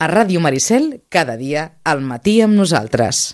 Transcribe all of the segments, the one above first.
A Ràdio Maricel, cada dia al matí amb nosaltres.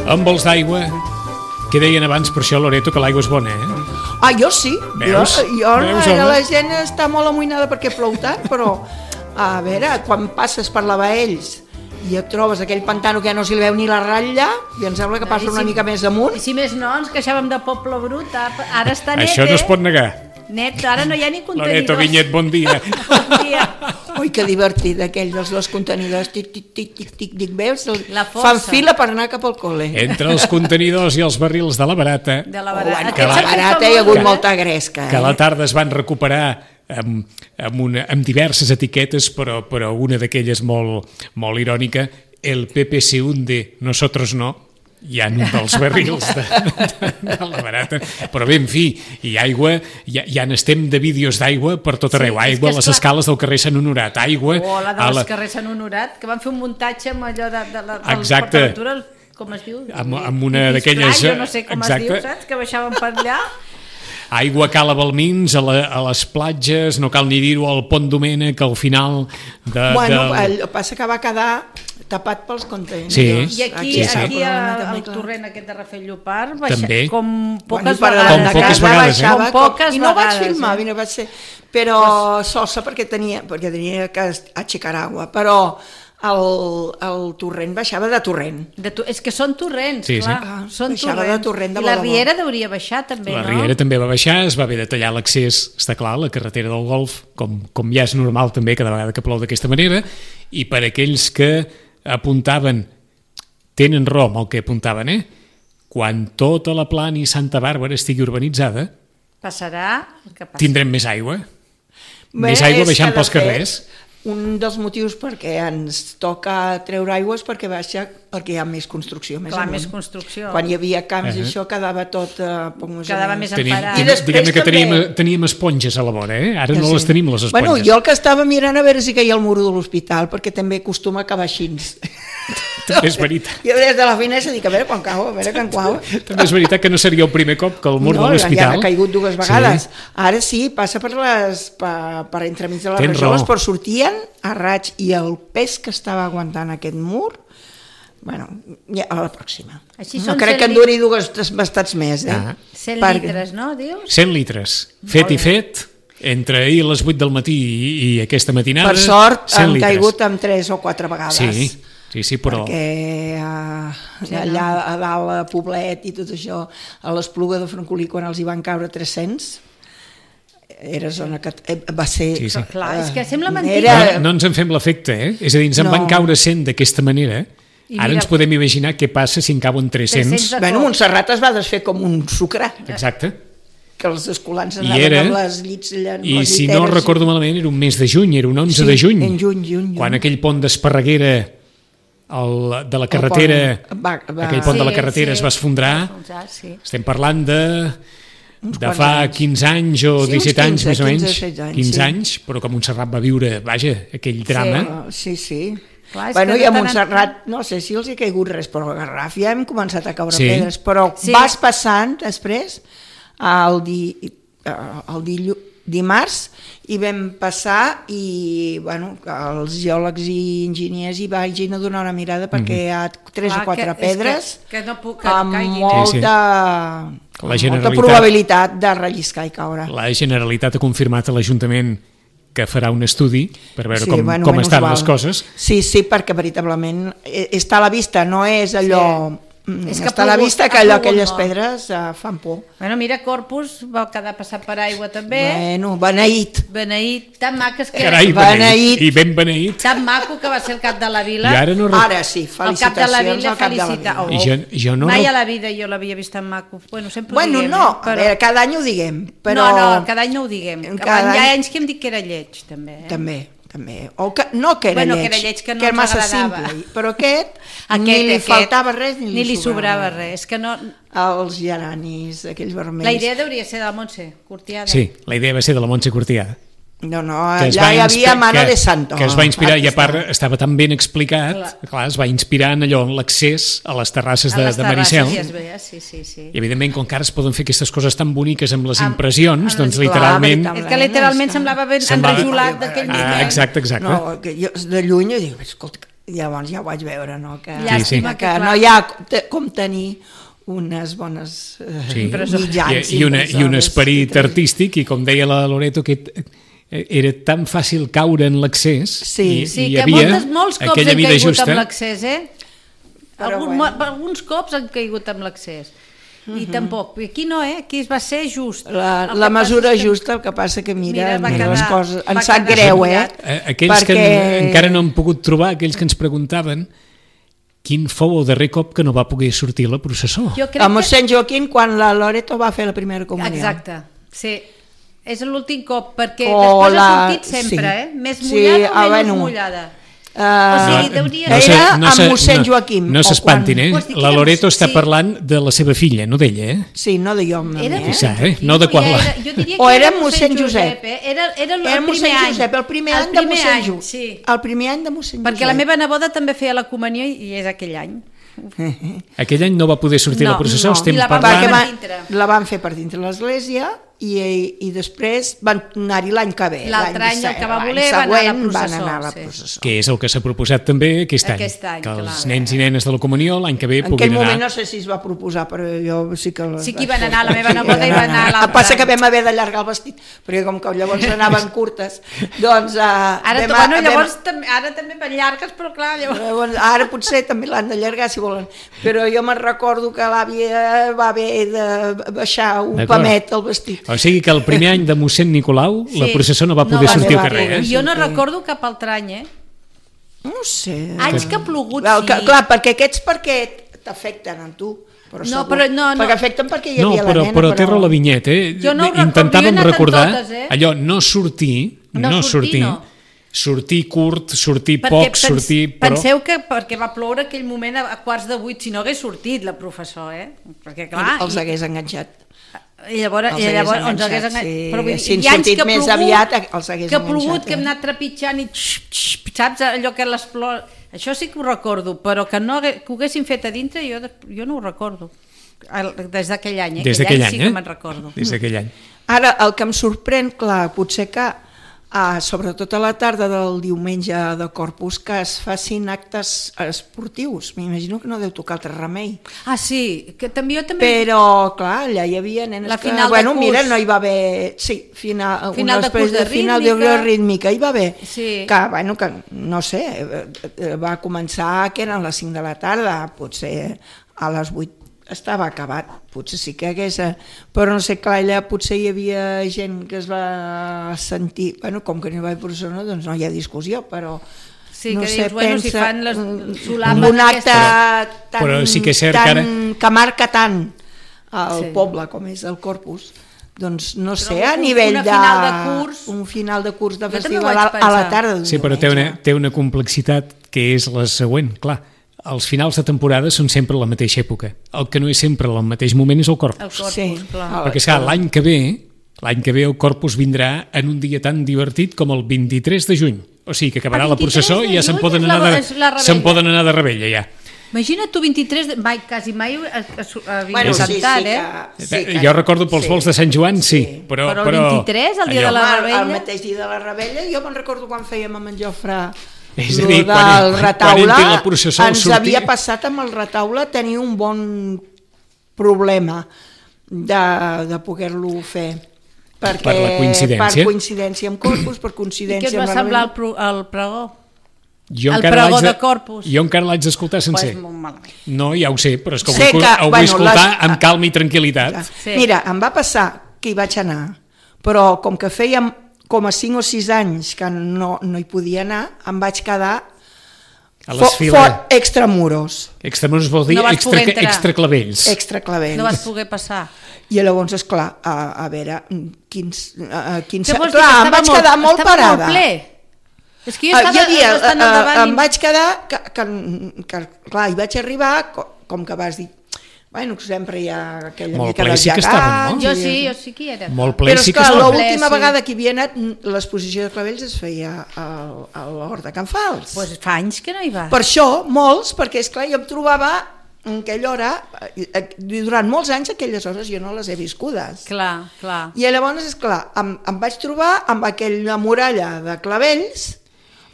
Amb vols d'aigua, que deien abans per això, Loreto, que l'aigua és bona, Jo sí. Veus? Veus, home? La gent està molt amoïnada perquè plou tant, però a veure, quan passes per la Baells i et trobes aquell pantano que ja no s'hi veu ni la ratlla, i em sembla que passa una mica més amunt. I si més no, ens queixàvem de Poble Brut, ara està net, Això no es pot negar. Net, ara no hi ha ni contenidors. Loreto Vinyet, bon dia. Bon dia. Ui, que divertit, aquells dels contenidors, tic, tic, tic, tic, tic, tic, veus? La força. Fan fila per anar cap al cole. Entre els contenidors i els barrils de la barata, De la Bueno, barata. que la barata hi ha hagut molta gresca. que a la tarda es van recuperar amb diverses etiquetes, però una d'aquelles molt irònica, el PP se hunde, nosotros no, hi ha un dels barrils de la barata, però bé, en fi, i aigua, ja n'estem de vídeos d'aigua per tot arreu, aigua a les escales del carrer Sant Honorat, aigua... O la dels carrers Sant Honorat, que van fer un muntatge amb allò de Exacte. PortAventura, com es diu? Amb una d'aquelles... Jo no sé com es diu, saps? Que baixaven per allà. Aigua Cala Balmins, a les platges, no cal ni dir-ho, al Pont Domènec, al final... El que passa que va quedar tapat pels contenidors. Sí. I aquí al torrent aquest de Rafel Llopart També. com poques Com vegades. baixava, Com poques i no vaig vegades, filmar, no vaig ser, però sosa perquè tenia que aixecar aigua, però el torrent baixava de torrent. És que són torrents, Sí, clar. sí. Són Baixava torrents. de torrent de I la bo de bo. Riera hauria baixar també, La no? Riera també va baixar, es va haver de tallar l'accés, està clar, a la carretera del Golf, com ja és normal també cada vegada que plou d'aquesta manera, i per aquells que apuntaven, tenen raó amb el que apuntaven, quan tota la Plana i Santa Bàrbara estigui urbanitzada, Passarà el que passi. tindrem més aigua. Més aigua baixant pels carrers. Un dels motius perquè ens toca treure aigües perquè hi ha més construcció. Clar, més construcció. Quan hi havia camps i això quedava tot poc més Quedava més Tenim, emparat. I després diguem-ne que també- teníem esponges a la vora, ara Ja no sí. les tenim, les esponges. Bueno, jo el que estava mirant a veure si caia el muro de l'hospital, perquè també acostuma a acabar així. També és veritat. Jo des de la finestra dic, a veure quan cau, a veure quan cau. També és veritat que no seria el primer cop que el mur de l'hospital... Ja ha caigut dues vegades. Sí. Ara sí, passa per entremig de les Tens rajoles, raó. però sortien a raig i el pes que estava aguantant aquest mur, bueno, ja a la pròxima. Així No són crec que en 100 duri dues bastats més, 100 Perquè- litres, no, dius? 100 litres, fet i fet, entre ahir a les 8 del matí i aquesta matinada... Per sort 100 han litres. caigut amb 3 o 4 vegades. Sí, però... Perquè allà a dalt a Poblet i tot això, a l'Espluga de Francolí, quan els hi van caure 300, era zona que va ser... Sí, sí. Clar, és que sembla mentida. No ens en fem l'efecte, És a dir, ens en van caure 100 d'aquesta manera. I Ara mira- ens podem imaginar què passa si en cauen 300. 300. Bueno, Montserrat es va desfer com un sucre, Exacte. que els escolans I anaven era- amb les llits allà, amb I les si no lliteres. recordo malament, era un mes de juny, era un 11 Sí, de juny. en juny. Quan aquell pont d'Esparreguera de la carretera, aquell pont de la carretera es va esfondrar. Sí. Estem parlant de quants fa anys. 15 anys o Sí, uns 17 anys, 15, més o menys. 16 anys, 15 sí. anys, però que Montserrat va viure, vaja, aquell drama. Sí. Clar, és Bueno, que i a de tant en Montserrat, no sé si els hi ha caigut res, però a Garraf ja hem començat a caure Sí. pedres, però Sí. vas passant després dimarts i vam passar i els geòlegs i enginyers hi vagin a donar una mirada perquè hi ha 3 o 4 pedres amb molta probabilitat de relliscar i caure. La Generalitat ha confirmat a l'Ajuntament que farà un estudi per veure com estan les coses. Sí, perquè veritablement està a la vista, no és allò... Està a la vista que aquelles pedres fan por. Mira, Corpus va quedar passat per aigua també. Beneït. Beneït, tan maques que... Carai, beneït. I ben beneït. Tan maco que va ser el cap de la vila. Ara sí, felicitacions al cap de la vila. Mai a la vida jo l'havia vist tan maco. A veure, cada any ho diguem. No, cada any no ho diguem. Hi ha anys que hem dit que era lleig, també. També. O que era lleig, que era massa simple, però aquest ni li faltava res ni li sobrava res. Els geranis, aquells vermells. La idea hauria ser de la Montse Cortiada. Sí, la idea va ser de la Montse Cortiada. No, allà hi havia Mano de Santo. Que es va inspirar, i a part estava tan ben explicat, clar, es va inspirar en allò, en l'accés a les terrasses de Maricel. Sí. I evidentment, com que ara es poden fer aquestes coses tan boniques amb les impressions, doncs literalment... És que literalment semblava ben enrajolat d'aquell moment. Exacte. No, que jo de lluny dic, escolta, llavors ja ho vaig veure, no? Que no hi ha com tenir unes bones mitjans. I un esperit artístic, i com deia la Loreto, que era tan fàcil caure en l'accés i hi havia molts cops aquella vida justa. Amb l'accés, alguns cops han caigut amb l'accés i tampoc, aquí no, aquí va ser just la mesura justa, el que passa que mira les coses, em sap greu aquells que encara no han pogut trobar, aquells que ens preguntaven quin fou el darrer cop que no va poder sortir la processó. A mossèn Joaquim, quan la Loreto va fer la primera comunió. Exacte, sí. És l'últim cop, perquè després ha sortit sempre, més mullada o menys mullada. Era amb mossèn Joaquim. No s'espantin, la Loreto està parlant de la seva filla, no d'ella, Sí, no de jo. No de quan o era mossèn Josep. Era el primer any. El primer any de mossèn Josep. El primer any de mossèn Josep. Perquè la meva neboda també feia la comunió i és aquell any. Aquell any no va poder sortir la processó, estem parlant... La van fer per dintre l'església i després van anar-hi l'any que ve. L'altre any el que va voler van anar a la processó. Que és el que s'ha proposat també aquest any. Que els nens i nenes de la comunió l'any que ve puguin anar. En aquell moment no sé si es va proposar, però jo sí que... Sí que hi van anar, la meva neboda hi va anar l'altre. Passa que vam haver d'allargar el vestit, perquè com que llavors anaven curtes, doncs... Ara també van llargues, però clar... Ara potser també l'han d'allargar, si volen. Però jo me'n recordo que l'àvia va haver de baixar un pamet al vestit. O sigui que el primer any de mossèn Nicolau la processó no va poder sortir al carrer. Jo no recordo cap altre any, No sé. Anys que ha plogut, sí. Clar, perquè aquests t'afecten a tu. Perquè afecten perquè hi havia la nena. Però té raó la Vinyet, intentàvem recordar allò, no sortir, sortir curt, sortir poc, sortir... Penseu que perquè va ploure aquell moment a 7:45, si no hagués sortit la professor, perquè clar... Els hagués enganxat. I llavors ens hagués enganxat. Si han sortit més aviat, els hagués enganxat. Que ha plogut, que hem anat trepitjant i saps allò que les plors... Això sí que ho recordo, però que ho haguessin fet a dintre jo no ho recordo. Des d'aquell any, Des d'aquell any, sí que me'n recordo. Des d'aquell any. Ara, el que em sorprèn, clar, potser que sobretot a la tarda del diumenge de Corpus, que es facin actes esportius. M'imagino que no deu tocar altre remei. Sí, que també jo també... Però, clar, allà hi havia nenes que... Mira, no hi va haver... Sí, final de curs de rítmica hi va haver. Sí. Que, no sé, va començar que eren les 5 de la tarda, potser a les 8 estava acabat, potser sí que hagués... Però no sé, clar, allà potser hi havia gent que es va sentir... com que no hi va haver persona, doncs no hi ha discussió, però... Sí, no que sé, dius, si fan les solapes... Un acte que marca tant el poble com és el Corpus, doncs no sé, a nivell de... Un final de curs de festival a la tarda. Sí, però té una complexitat que és la següent, clar. Els finals de temporada són sempre a la mateixa època. El que no és sempre al mateix moment és el Corpus. Perquè l'any que ve el Corpus vindrà en un dia tan divertit com el 23 de juny. O sigui que acabarà la processó i ja se'n poden anar de rebella ja. Imagina't tu 23, quasi mai havia cantat, Jo recordo pels vols de Sant Joan, sí. Però el 23, el dia de la Rebella... El mateix dia de la Rebella, jo me'n recordo quan fèiem amb en Jofre és a dir, del retaule, ens havia passat amb el retaule tenir un bon problema de poder-lo fer. Per la coincidència. Per coincidència amb Corpus, per coincidència amb la Rebella. I què et va semblar el pregó? El pregó de Corpus. Jo encara l'haig d'escoltar sencer. Pues molt malament. No, ja ho sé, però és que ho vull escoltar amb calma i tranquil·litat. Sí. Mira, em va passar que hi vaig anar, però com que fèiem com a 5 o 6 anys que no hi podia anar, em vaig quedar extramuros. Extramuros vol dir extraclavells. Extraclavells. No vas poder passar. I llavors, esclar, a veure, quins... Clar, em vaig quedar molt parada. Molt ple. És que jo estava bastant al davant... Em vaig quedar, que clar, hi vaig arribar, com que vas dir, bueno, sempre hi ha aquella molt mica dels sí gegants... No? Jo sí que hi era. Molt ple sí que estava. estava. Però l'última vegada que hi havia anat, l'exposició de clavells es feia a l'Hort de Can Fals. Doncs fa anys que no hi vas. Per això, molts, perquè esclar, jo em trobava en aquella hora, durant molts anys aquelles hores jo no les he viscudes. Clar. I llavors, esclar, em vaig trobar amb aquella muralla de clavells,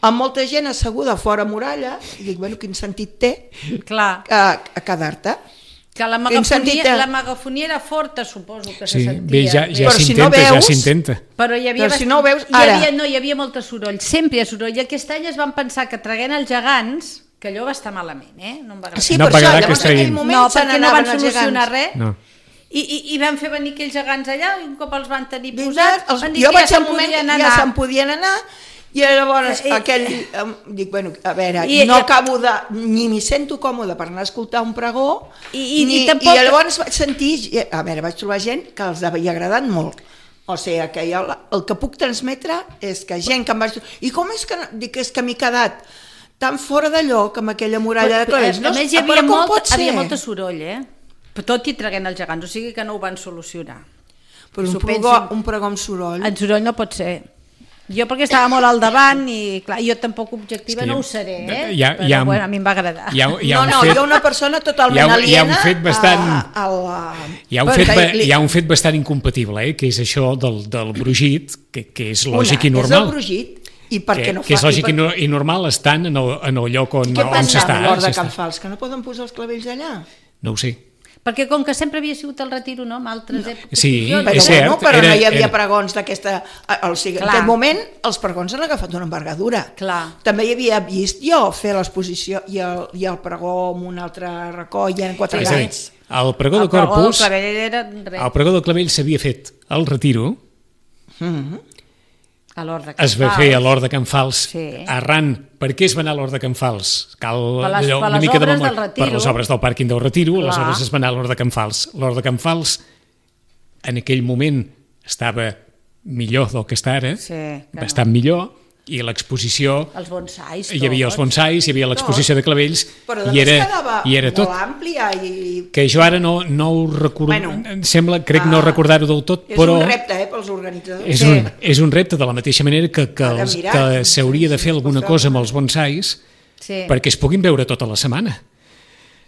amb molta gent asseguda fora muralla, i dic, bueno, quin sentit té a quedar-te? Que la megafonia era forta, suposo que se sentia. Bé, ja s'intenta. Però hi havia, si no veus, ara... hi havia molt soroll, sempre hi ha soroll. I aquest any es van pensar que traguent els gegants, que allò va estar malament, no em va agradar. Sí, per això, llavors en aquell moment se perquè no van solucionar res. No. I van fer venir aquells gegants allà, i un cop els van tenir posats, van dir jo que vaig al moment que ja se'n podien anar, i llavors aquell, dic, bueno, a veure, no acabo de, ni m'hi sento còmode per anar a escoltar un pregó, i llavors vaig sentir, a veure, vaig trobar gent que els havia agradat molt. O sigui, que el que puc transmetre és que gent que em vaig... I com és que... Dic, és que m'he quedat tan fora de lloc amb aquella muralla de clavells. A més, hi havia molta soroll, tot i traguent els gegants, o sigui que no ho van solucionar. Però un pregó amb soroll... En soroll no pot ser. Jo perquè estava molt al davant i clar, jo tampoc objectiva no ho seré, però bueno, a mi em va agradar. Hi ha una persona totalment aliena... Hi ha un fet bastant incompatible, que és això del brugit, que és lògic i normal. És el brugit. I perquè no que és lògic i normal estan en el lloc on s'està. Què passa amb l'Hort de Can Fals, que no poden posar els clavells allà? No ho sé. Perquè com que sempre havia sigut el retiro, no?, en altres èpoques... Sí, és cert. Però no hi havia pregons d'aquesta... En aquest moment els pregons han agafat una envergadura. També hi havia vist jo fer l'exposició i el pregó amb un altre racó i eren 4 anys. El pregó de Corpus... El pregó del clavell s'havia fet al retiro... Es va fer a l'Hort de Can Fals arran. Per què es va anar a l'Hort de Can Fals? Per les obres del Retiro. Per les obres del pàrquing del Retiro, aleshores es va anar a l'Hort de Can Fals. L'Hort de Can Fals en aquell moment estava millor del que està ara, bastant millor, i l'exposició... Els bonsais. Hi havia els bonsais, hi havia l'exposició de clavells, i era tot. Molt àmplia i... Que jo ara no ho recordo, crec no recordar-ho del tot, però... És un repte, pels organitzadors. És un repte, de la mateixa manera que s'hauria de fer alguna cosa amb els bonsais perquè es puguin veure tota la setmana.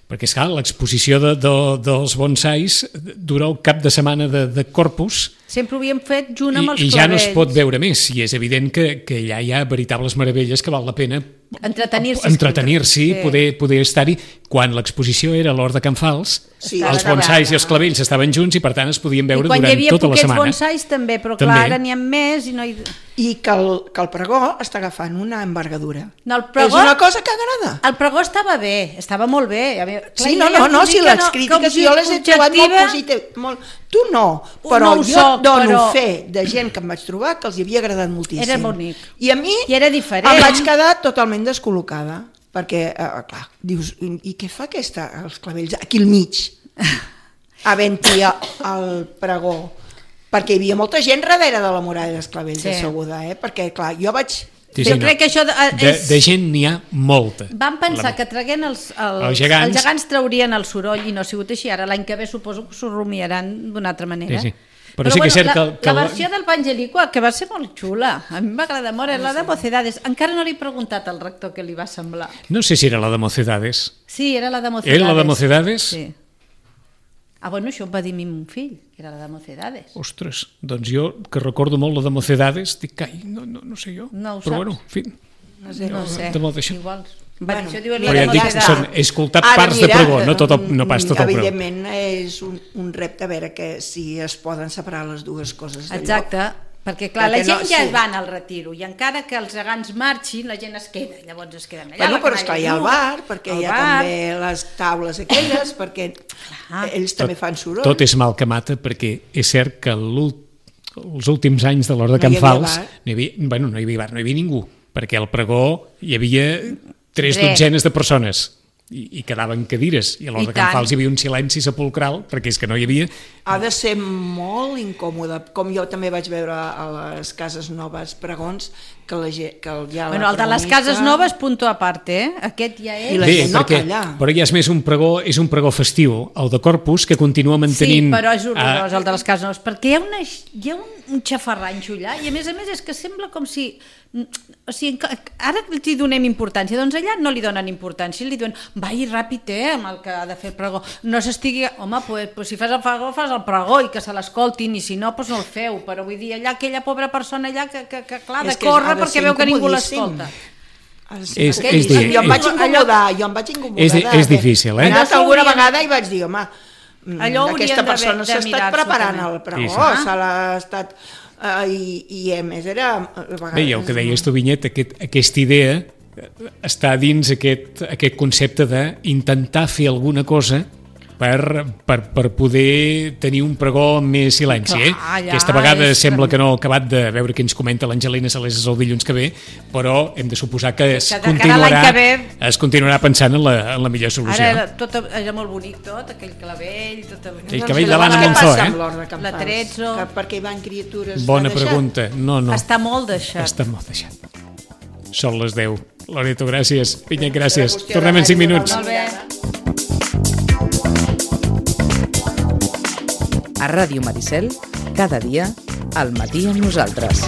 Perquè, esclar, l'exposició dels bonsais dura el cap de setmana de Corpus. Sempre ho havíem fet junt amb els clavells. I ja no es pot veure més. I és evident que allà hi ha veritables meravelles que val la pena entretenir-s'hi, poder estar-hi. Quan l'exposició era a l'Hort de Can Fals, els bonsais i els clavells estaven junts i per tant es podien veure durant tota la setmana. I quan hi havia poquets bonsais també, però clar, ara n'hi ha més i no hi... I que el pregó està agafant una envergadura. No, és una cosa que agrada. El pregó estava bé, estava molt bé. Sí, no, si les crítiques jo les he trobat molt positives. Tu no, però jo dono fe de gent que em vaig trobar que els hi havia agradat moltíssim. Era bonic. I a mi em vaig quedar totalment descol·locada, perquè, clar, dius, i què fa els clavells aquí al mig, havent-hi el pregó? Perquè hi havia molta gent darrere de la muralla dels clavells asseguda, perquè, clar, jo vaig... Jo crec que això de gent n'hi ha molta. Van pensar que traguent els gegants traurien el soroll i no ha sigut així. Ara l'any que ve suposo que s'ho rumiaran d'una altra manera. Però sí que és cert que la versió del Pangelicua, que va ser molt xula, a mi m'agrada molt, és la de Mocedades. Encara no li he preguntat al rector què li va semblar. No sé si era la de Mocedades. Sí, era la de Mocedades. Era la de Mocedades? Sí. Bueno, això em va dir mon fill, que era la de Mocedades. Ostres, doncs jo, que recordo molt la de Mocedades, dic, ai, no sé jo. No ho però saps. bueno, en fi. No sé. De molt d'això. Igual. Bueno, Això diu Però la ja de et dic, Mocedades. he escoltat parts de pregó, no tot el pregó. Evidentment és un repte a veure que si es poden separar les dues coses de Exacte, lloc. perquè clar, la Perquè gent no, ja sí. va al retiro i encara que els gegants marxin, la gent es queda, llavors es queden allà. Bueno, la però canalla esclar, hi ha el nua, bar, perquè hi ha bar. també les taules aquelles, perquè ells també fan soroll. Tot és mal que mata, perquè és cert que els últims anys de l'Hort de No hi Can havia Fals bar. no hi havia bar, no hi havia ningú, perquè al pregó hi havia 3 Res. dotzenes de persones i quedaven cadires, i a l'Hort I de Can tant. Fals hi havia un silenci sepulcral, perquè és que no hi havia... Ha de ser molt incòmode, com jo també vaig veure a les cases noves pregons, que la gent, que hi ha Bueno, el de les cases noves, punto aparte, Aquest ja és... I la Bé, gent no perquè, calla. però ja és més un pregó festiu, el de Corpus, que continua mantenint... Sí, però és horrorós, el de les cases noves, perquè hi ha un xafarranxo allà, i a més és que sembla com si... O sigui, ara li donem importància, doncs allà no li donen importància, li diuen, vai ràpid, amb el que ha de fer el pregó. No s'estigui... Home, pues, si fas el pregó, fas el pregó, i que se l'escoltin, i si no, pues no el feu. Però vull dir, allà aquella pobra persona allà que clar, de És que córrer ha de perquè ser veu que ningú incomodíssim. l'escolta. Jo em vaig incomodar, És difícil, He anat Això alguna hauríem- vegada i vaig dir, home, Allò haurien aquesta de persona s'ha estat mirar-s'ho preparant també. el pregó, Sí, sí. se l'ha estat... I a més era... Bé, i el que deies tu, Vinyet, aquesta idea està dins aquest concepte d'intentar fer alguna cosa per poder tenir un pregó amb més silenci. Clar, ja, Aquesta vegada és sembla que- que no ha acabat de veure què ens comenta l'Angelina Saleses el dilluns que ve, però hem de suposar que de cara a l'any que ve- es continuarà pensant en la millor solució. Ara era molt bonic tot, aquell clavell, tot el... Aquell cabell de l'Anna Què Monzó, passa eh? amb l'Hort de Can La Fals? Trezzo. Perquè hi van criatures... Bona s'ha deixat? pregunta. No. Està molt deixat. Està molt deixat. Són les 10. Loreto, gràcies. Vinyet, gràcies. Era qüestió Tornem en 5 d'anar-hi a minuts. donar una Molt bé. A Ràdio Maricel, cada dia, al matí amb nosaltres.